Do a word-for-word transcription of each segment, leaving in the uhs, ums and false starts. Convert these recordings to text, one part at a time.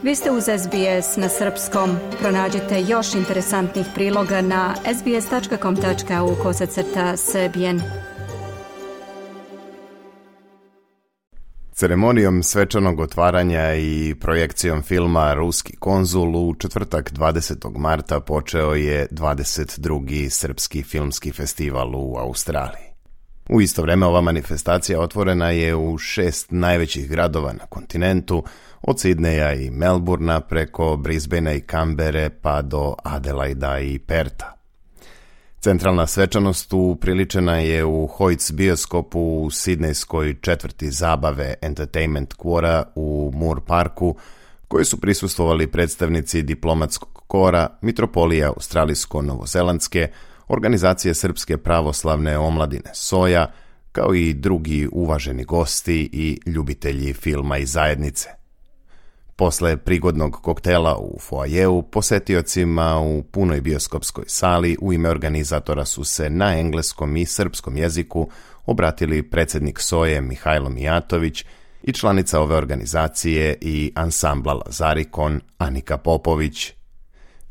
Vi ste uz S B S na srpskom. Pronađite još interesantnih priloga na sbs.com.au kosacrta srbijen. Ceremonijom svečanog otvaranja i projekcijom filma Ruski konzul u četvrtak dvadesetog marta počeo je dvadeset drugi Srpski filmski festival u Australiji. U isto vrijeme ova manifestacija otvorena je u šest najvećih gradova na kontinentu, od Sidneja i Melburna preko Brisbanea i Kambere pa do Adelaida i Perta. Centralna svečanost upriličena je u Hoyts bioskopu u sidnejskoj četvrti zabave Entertainment Quora u Moore Parku, koji su prisustvovali predstavnici diplomatskog kora, mitropolije australijsko-novozelandske, organizacije Srpske pravoslavne omladine Soja, kao i drugi uvaženi gosti i ljubitelji filma i zajednice. Posle prigodnog koktela u foajeu, posetiocima u punoj bioskopskoj sali u ime organizatora su se na engleskom i srpskom jeziku obratili predsjednik Soje Mihajlo Mijatović i članica ove organizacije i ansambla Lazarikon Anika Popović.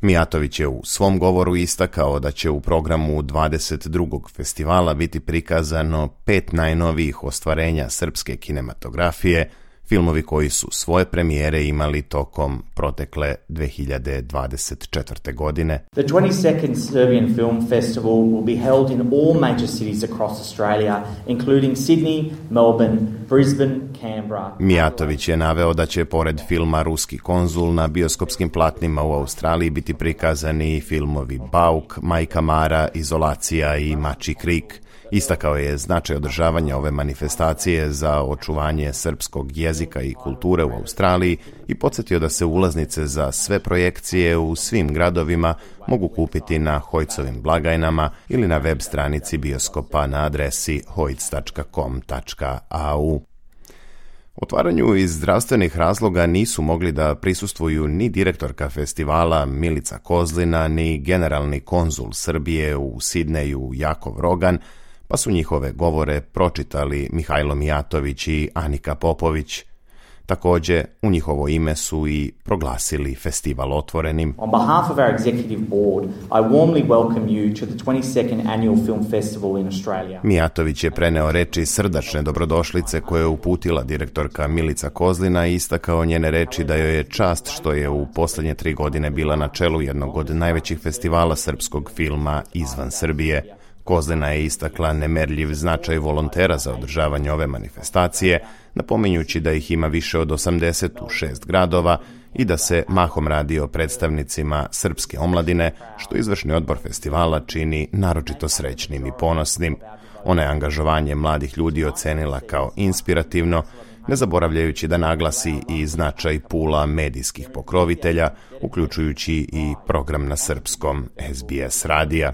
Mijatović je u svom govoru istakao da će u programu dvadeset drugog festivala biti prikazano pet najnovijih ostvarenja srpske kinematografije, filmovi koji su svoje premijere imali tokom protekle dve hiljade dvadeset četvrte. godine. The twenty-second Serbian Film Festival will be held in all major cities across Australia, including Sydney, Melbourne, Brisbane, Canberra. Mijatović je naveo da će pored filma Ruski konzul na bioskopskim platnima u Australiji biti prikazani filmovi Bauk, Majka Mara, Izolacija i Mačji krik. Istakao je značaj održavanja ove manifestacije za očuvanje srpskog jezika i kulture u Australiji i podsjetio da se ulaznice za sve projekcije u svim gradovima mogu kupiti na Hoytsovim blagajnama ili na web stranici bioskopa na adresi hoyts tačka com tačka a u. Otvaranju iz zdravstvenih razloga nisu mogli da prisustvuju ni direktorka festivala Milica Kozlina, ni generalni konzul Srbije u Sidneju Jakov Rogan, pa su njihove govore pročitali Mihajlo Mijatović i Anika Popović. Također, u njihovo ime su i proglasili festival otvorenim. On behalf of our executive board, I warmly welcome you to the twenty-second Annual Film Festival in Australia. Mijatović je preneo reči srdačne dobrodošlice koje je uputila direktorka Milica Kozlina i istakao njene reči da joj je čast što je u posljednje tri godine bila na čelu jednog od najvećih festivala srpskog filma izvan Srbije. Kozlina je istakla nemerljiv značaj volontera za održavanje ove manifestacije, napominjući da ih ima više od osamdeset u šest gradova i da se mahom radi o predstavnicima srpske omladine, što izvršni odbor festivala čini naročito srećnim i ponosnim. Ona je angažovanje mladih ljudi ocenila kao inspirativno, ne zaboravljajući da naglasi i značaj pula medijskih pokrovitelja, uključujući i program na srpskom S B S radija.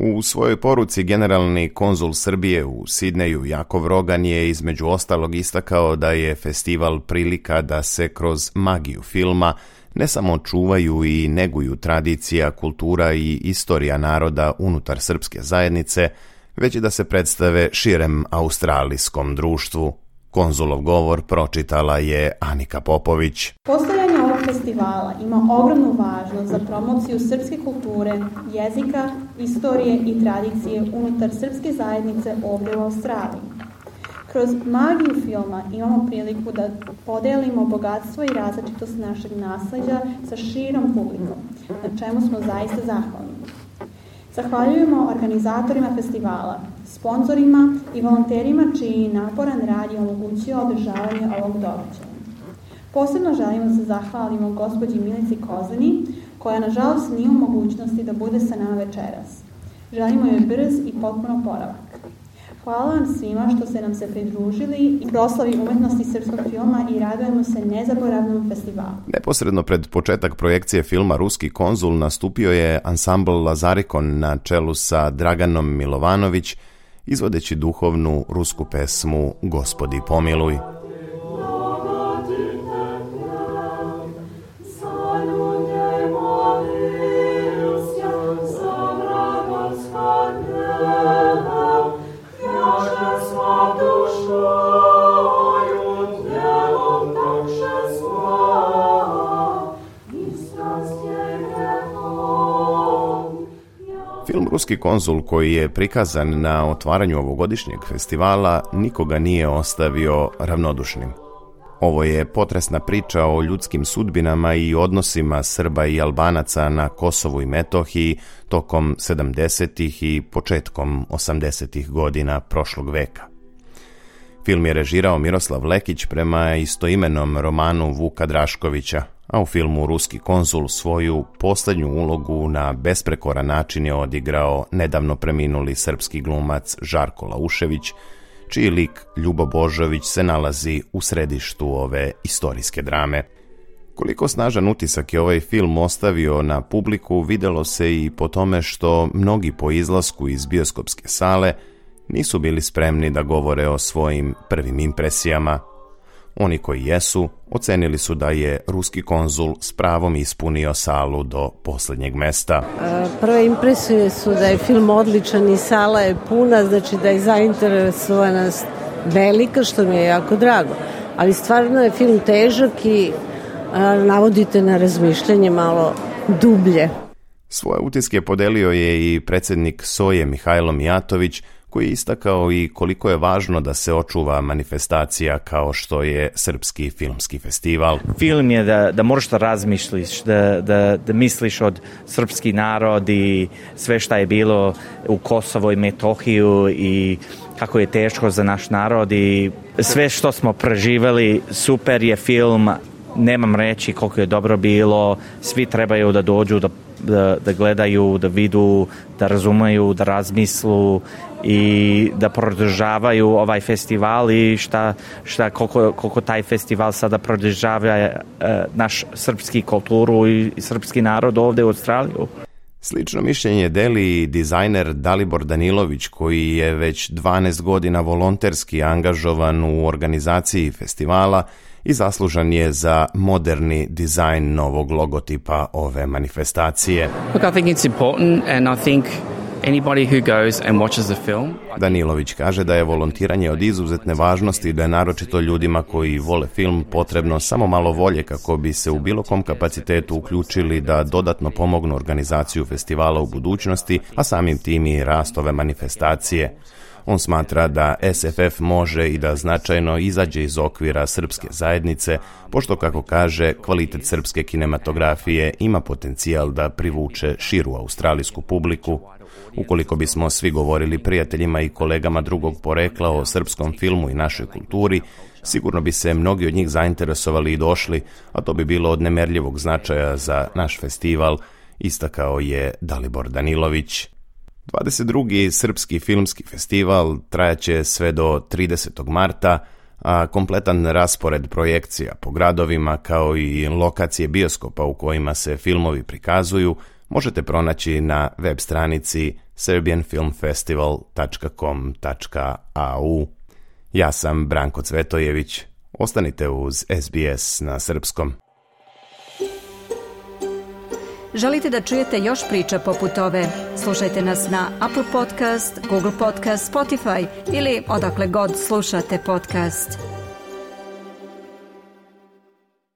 U svojoj poruci generalni konzul Srbije u Sidneju Jakov Rogan je između ostalog istakao da je festival prilika da se kroz magiju filma ne samo čuvaju i neguju tradicija, kultura i istorija naroda unutar srpske zajednice, već i da se predstave širem australijskom društvu. Konzulov govor pročitala je Anika Popović. Postojanje ovog festivala ima ogromnu važnost za promociju srpske kulture, jezika, istorije i tradicije unutar srpske zajednice ovdje u Australiji. Kroz magiju filma imamo priliku da podelimo bogatstvo i različitost našeg nasleđa sa širom publikom, na čemu smo zaista zahvalni. Zahvaljujemo organizatorima festivala, sponzorima i volonterima čiji naporan rad je omogućio održavanje ovog događaja. Posebno želimo da se zahvalimo gospođi Milici Kozlini, koja nažalost nije u mogućnosti da bude sa nama večeras. Želimo joj brz i potpuno oporavak. Hvala vam svima što ste nam se pridružili i proslavi umetnosti srpskog filma i radujemo se nezaboravnom festivalu. Neposredno pred početak projekcije filma Ruski konzul nastupio je ansambl Lazarikon na čelu sa Draganom Milovanović, izvodeći duhovnu rusku pesmu Gospodi pomiluj. Dušu moju, djelom takše svoje. Film Ruski konzul, koji je prikazan na otvaranju ovogodišnjeg festivala, nikoga nije ostavio ravnodušnim. Ovo je potresna priča o ljudskim sudbinama i odnosima Srba i Albanaca na Kosovu i Metohiji tokom sedamdesetih i početkom osamdesetih godina prošlog veka. Film je režirao Miroslav Lekić prema istoimenom romanu Vuka Draškovića, a u filmu Ruski konzul svoju poslednju ulogu na besprekoran način je odigrao nedavno preminuli srpski glumac Žarko Laušević, čiji lik Ljubo Božović se nalazi u središtu ove istorijske drame. Koliko snažan utisak je ovaj film ostavio na publiku videlo se i po tome što mnogi po izlasku iz bioskopske sale nisu bili spremni da govore o svojim prvim impresijama. Oni koji jesu, ocenili su da je Ruski konzul s pravom ispunio salu do posljednjeg mesta. Prve impresije su da je film odličan i sala je puna, znači da je zainteresovanost velika, što mi je jako drago. Ali stvarno je film težak i a, navodite na razmišljanje malo dublje. Svoje utiske podelio je i predsjednik Soje Mihajlo Mijatović, koji je istakao i koliko je važno da se očuva manifestacija kao što je Srpski filmski festival. Film je da, da možeš da razmišljiš, da, da, da misliš od srpski narod i sve šta je bilo u Kosovo i Metohiju i kako je teško za naš narod i sve što smo preživeli. Super je film, nemam reći koliko je dobro bilo, svi trebaju da dođu da Da, da gledaju, da vidu, da razumeju, da razmislu i da podržavaju ovaj festival i šta, šta koliko, koliko taj festival sada podržava e, naš srpski kulturu i, i srpski narod ovdje u Australiju. Slično mišljenje deli i dizajner Dalibor Danilović, koji je već dvanaest godina volonterski angažovan u organizaciji festivala i zaslužan je za moderni dizajn novog logotipa ove manifestacije. Look, I think it's important and I think anybody who goes and watches the film. Danilović kaže da je volontiranje od izuzetne važnosti i da je naročito ljudima koji vole film potrebno samo malo volje kako bi se u bilo kom kapacitetu uključili da dodatno pomognu organizaciju festivala u budućnosti, a samim tim i rast ove manifestacije. On smatra da S F F može i da značajno izađe iz okvira srpske zajednice, pošto, kako kaže, kvalitet srpske kinematografije ima potencijal da privuče širu australijsku publiku. Ukoliko bismo svi govorili prijateljima i kolegama drugog porekla o srpskom filmu i našoj kulturi, sigurno bi se mnogi od njih zainteresovali i došli, a to bi bilo od nemerljivog značaja za naš festival, istakao je Dalibor Danilović. dvadeset drugi Srpski filmski festival trajaće sve do tridesetog marta, a kompletan raspored projekcija po gradovima kao i lokacije bioskopa u kojima se filmovi prikazuju možete pronaći na web stranici serbian film festival tačka com tačka a u. Ja sam Branko Cvetojević. Ostanite uz S B S na srpskom. Želite da čujete još priča poput ove? Slušajte nas na Apple Podcast, Google Podcast, Spotify ili odakle god slušate podcast.